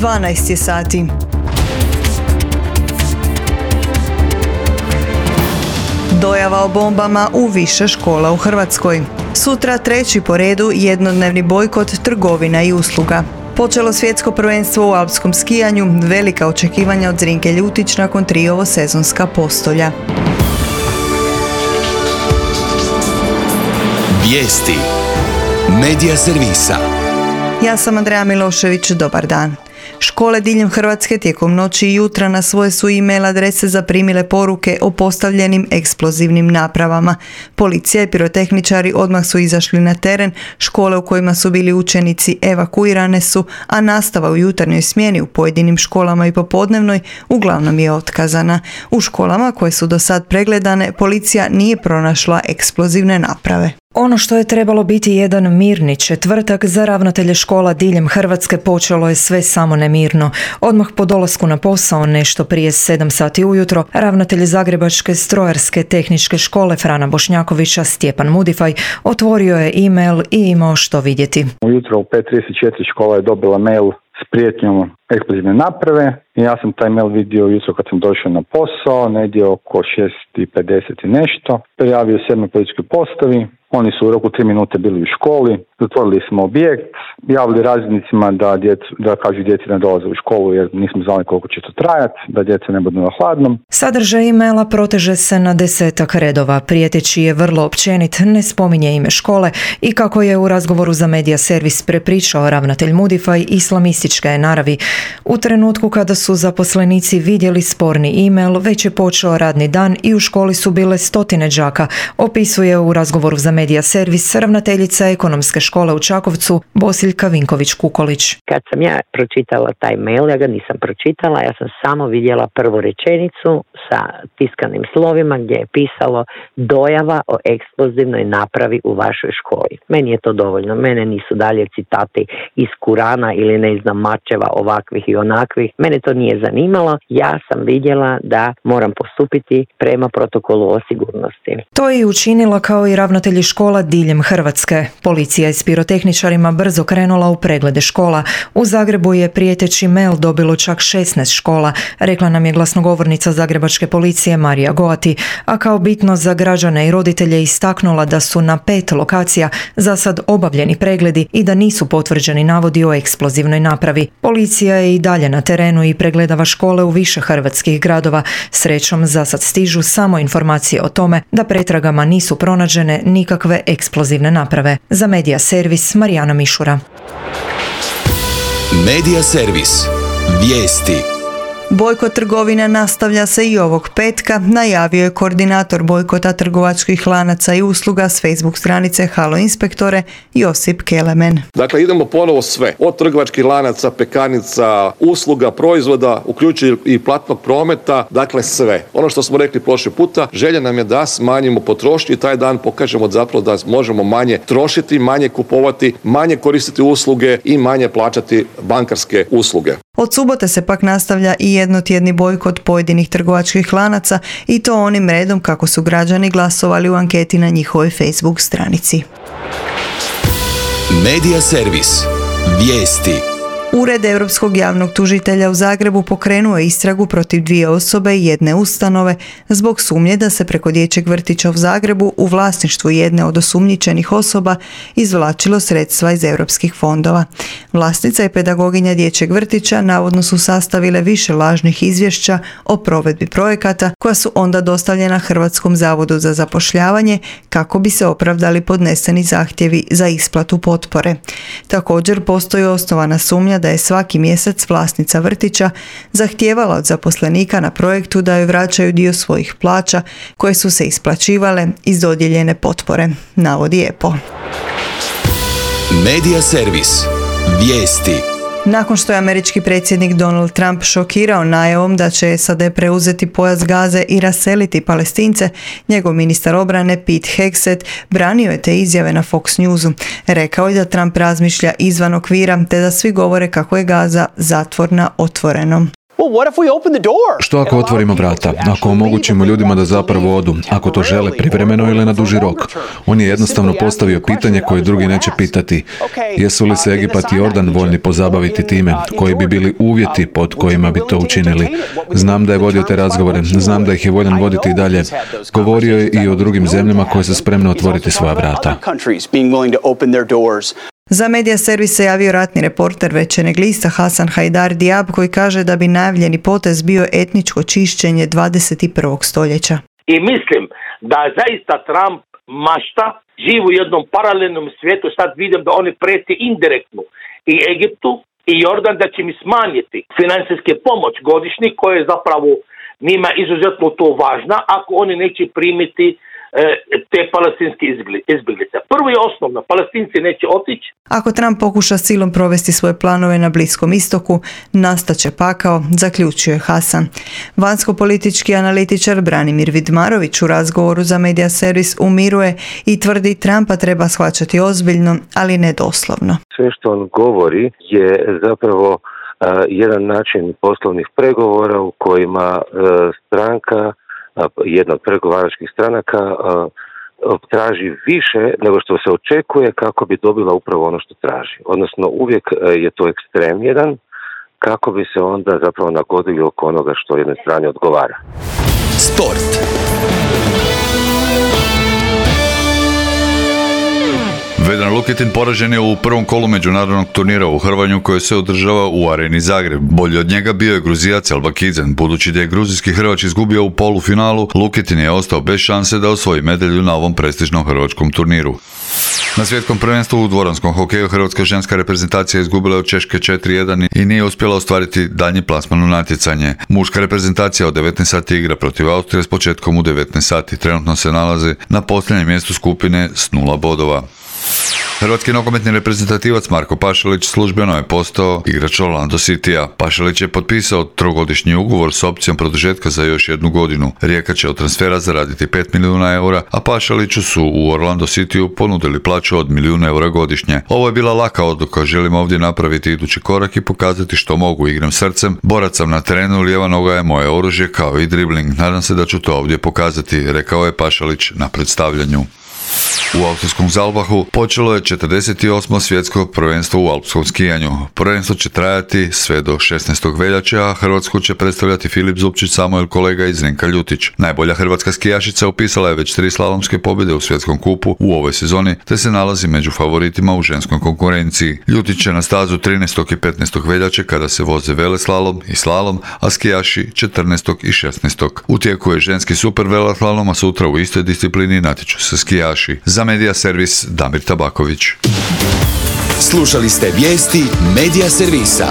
12 je sati. Dojava o bombama u više škola u Hrvatskoj. Sutra treći po redu jednodnevni bojkot trgovina i usluga. Počelo svjetsko prvenstvo u alpskom skijanju, velika očekivanja od Zrinke Ljutić nakon 3 ovosezonska postolja. Vijesti Medija servisa. Ja sam Andreja Milošević, dobar dan. Škole diljem Hrvatske tijekom noći i jutra na svoje su e-mail adrese zaprimile poruke o postavljenim eksplozivnim napravama. Policija i pirotehničari odmah su izašli na teren, škole u kojima su bili učenici evakuirane su, a nastava u jutarnjoj smjeni u pojedinim školama i popodnevnoj uglavnom je otkazana. U školama koje su do sad pregledane, policija nije pronašla eksplozivne naprave. Ono što je trebalo biti jedan mirni četvrtak za ravnatelje škola diljem Hrvatske počelo je sve samo nemirno. Odmah po dolasku na posao nešto prije 7 sati ujutro, ravnatelj Zagrebačke strojarske tehničke škole Frana Bošnjakovića Stjepan Mudifaj otvorio je e-mail i imao što vidjeti. Ujutro u 5:34 škola je dobila mail s prijetnjom eksplozivne naprave i ja sam taj mail vidio jutro kad sam došao na posao, negdje oko 6:50 i nešto. Prijavio se na policijskoj postavi. Oni su u roku 3 minute bili u školi, zatvorili smo objekt, javili razrednicima da kažu djeci ne dolaze u školu jer nismo znali koliko će to trajati, da djeca ne budu na hladnom. Sadržaj e-maila proteže se na 10 redova, prijeteći je vrlo općenit, ne spominje ime škole i kako je u razgovoru za Medija servis prepričao ravnatelj Mudifaj, islamistička je naravi. U trenutku kada su zaposlenici vidjeli sporni e-mail, već je počeo radni dan i u školi su bile stotine đaka, opisuje u razgovoru za Medija servis ravnateljica ekonomske škole u Čakovcu Bosiljka Vinković-Kukolić. Kad sam ja pročitala taj mail, ja ga nisam pročitala, ja sam samo vidjela prvu rečenicu sa tiskanim slovima gdje je pisalo dojava o eksplozivnoj napravi u vašoj školi. Meni je to dovoljno, mene nisu dalje citati iz Kurana ili ne znam mačeva ovakvih i onakvih. Mene to nije zanimalo, ja sam vidjela da moram postupiti prema protokolu o sigurnosti. To je i učinila kao i ravnatelji škola diljem Hrvatske. Policija je s pirotehničarima brzo krenula u preglede škola. U Zagrebu je prijeteći mail dobilo čak 16 škola, rekla nam je glasnogovornica Zagrebačke policije Marija Goati, a kao bitno za građane i roditelje istaknula da su na 5 lokacija za sad obavljeni pregledi i da nisu potvrđeni navodi o eksplozivnoj napravi. Policija je i dalje na terenu i pregledava škole u više hrvatskih gradova. Srećom, za sad stižu samo informacije o tome da pretragama nisu pronađene nikakve eksplozivne naprave. Za Medija servis Marijana Mišura. Medija servis. Vijesti. Bojkot trgovina nastavlja se i ovog petka, najavio je koordinator bojkota trgovačkih lanaca i usluga s Facebook stranice Halo inspektore Josip Kelemen. Dakle, idemo ponovo sve, od trgovačkih lanaca, pekarnica, usluga, proizvoda, uključujući i platnog prometa, dakle sve. Ono što smo rekli prošli puta, želja nam je da smanjimo potrošnju i taj dan pokažemo zapravo da možemo manje trošiti, manje kupovati, manje koristiti usluge i manje plaćati bankarske usluge. Od subote se pak nastavlja i jednotjedni bojkot pojedinih trgovačkih lanaca i to onim redom kako su građani glasovali u anketi na njihovoj Facebook stranici. Medija servis. Vijesti. Ured Europskog javnog tužitelja u Zagrebu pokrenuo je istragu protiv 2 osobe i 1 ustanove zbog sumnje da se preko dječjeg vrtića u Zagrebu u vlasništvu jedne od osumnjičenih osoba izvlačilo sredstva iz europskih fondova. Vlasnica i pedagoginja dječjeg vrtića navodno su sastavile više lažnih izvješća o provedbi projekata koja su onda dostavljena Hrvatskom zavodu za zapošljavanje kako bi se opravdali podneseni zahtjevi za isplatu potpore. Također postoji osnovana sumnja da je svaki mjesec vlasnica vrtića zahtijevala od zaposlenika na projektu da joj vraćaju dio svojih plaća koje su se isplaćivale iz dodijeljene potpore, navodi EPO. Medija servis. Vijesti. Nakon što je američki predsjednik Donald Trump šokirao najavom da će SAD preuzeti pojas Gaze i raseliti Palestince, njegov ministar obrane Pete Hegseth branio je te izjave na Fox Newsu. Rekao je da Trump razmišlja izvan okvira te da svi govore kako je Gaza zatvor na otvorenom. Što ako otvorimo vrata? Ako omogućimo ljudima da zapravo odu, ako to žele privremeno ili na duži rok? On je jednostavno postavio pitanje koje drugi neće pitati. Jesu li se Egipat i Jordan voljni pozabaviti time? Koji bi bili uvjeti pod kojima bi to učinili? Znam da je vodio te razgovore, znam da ih je voljan voditi i dalje. Govorio je i o drugim zemljama koje su spremne otvoriti svoja vrata. Za medija servis se javio ratni reporter Večernjeg lista Hasan Hajdar Diab koji kaže da bi najavljeni potez bio etničko čišćenje 21. stoljeća. I mislim da zaista Trump mašta, živi u jednom paralelnom svijetu, sad vidim da oni prijeti indirektno i Egiptu i Jordan da će mi smanjiti financijske pomoć godišnji koja je zapravo njima izuzetno to važna ako oni neće primiti te palestinske izbjeglice. Prvo i osnovno, Palestinci neće otići. Ako Trump pokuša silom provesti svoje planove na Bliskom istoku, nastaće pakao, zaključuje Hasan. Vanjsko-politički analitičar Branimir Vidmarović u razgovoru za medija servis umiruje i tvrdi Trumpa treba shvaćati ozbiljno, ali ne doslovno. Sve što on govori je zapravo jedan način poslovnih pregovora u kojima stranka, jedna od pregovaračkih stranaka, traži više nego što se očekuje kako bi dobila upravo ono što traži. Odnosno uvijek je to ekstrem jedan kako bi se onda zapravo nagodili oko onoga što jednoj strani odgovara. Sport. Vedran Luketin poražen je u prvom kolu međunarodnog turnira u hrvanju koje se održava u Areni Zagreb. Bolji od njega bio je Gruzijac Albakidzen. Budući da je gruzijski hrvač izgubio u polufinalu, Luketin je ostao bez šanse da osvoji medalju na ovom prestižnom hrvatskom turniru. Na svjetskom prvenstvu u dvoranskom hokeju hrvatska ženska reprezentacija izgubila od Češke 4-1 i nije uspjela ostvariti daljnji plasman u natjecanje. Muška reprezentacija od 19 sati igra protiv Austrije s početkom u 19 sati. Trenutno se nalazi na posljednjem mjestu skupine s 0 bodova. Hrvatski nogometni reprezentativac Marko Pašalić službeno je postao igrač Orlando Citya. Pašalić je potpisao trogodišnji ugovor s opcijom produžetka za još 1 godinu. Rijeka će od transfera zaraditi 5 milijuna eura, a Pašaliću su u Orlando Cityu ponudili plaću od 1 milijun eura godišnje. Ovo je bila laka odluka, želim ovdje napraviti idući korak i pokazati što mogu, igram srcem, borac sam na terenu, lijeva noga je moje oružje kao i dribling. Nadam se da ću to ovdje pokazati, rekao je Pašalić na predstavljanju. U austrijskom Zalbahu počelo je 48. svjetsko prvenstvo u alpskom skijanju. Prvenstvo će trajati sve do 16. veljače, a Hrvatsku će predstavljati Filip Zupčić, Samuel Kolega i Zrinka Ljutić. Najbolja hrvatska skijašica upisala je već 3 slalomske pobjede u svjetskom kupu u ovoj sezoni, te se nalazi među favoritima u ženskoj konkurenciji. Ljutić će na stazu 13. i 15. veljače kada se voze veleslalom i slalom, a skijaši 14. i 16. U tijeku je ženski super veleslalom, a sutra u istoj disciplini natječu se skijaši. Za medija servis Damir Tabaković. Slušali ste vijesti medija servisa.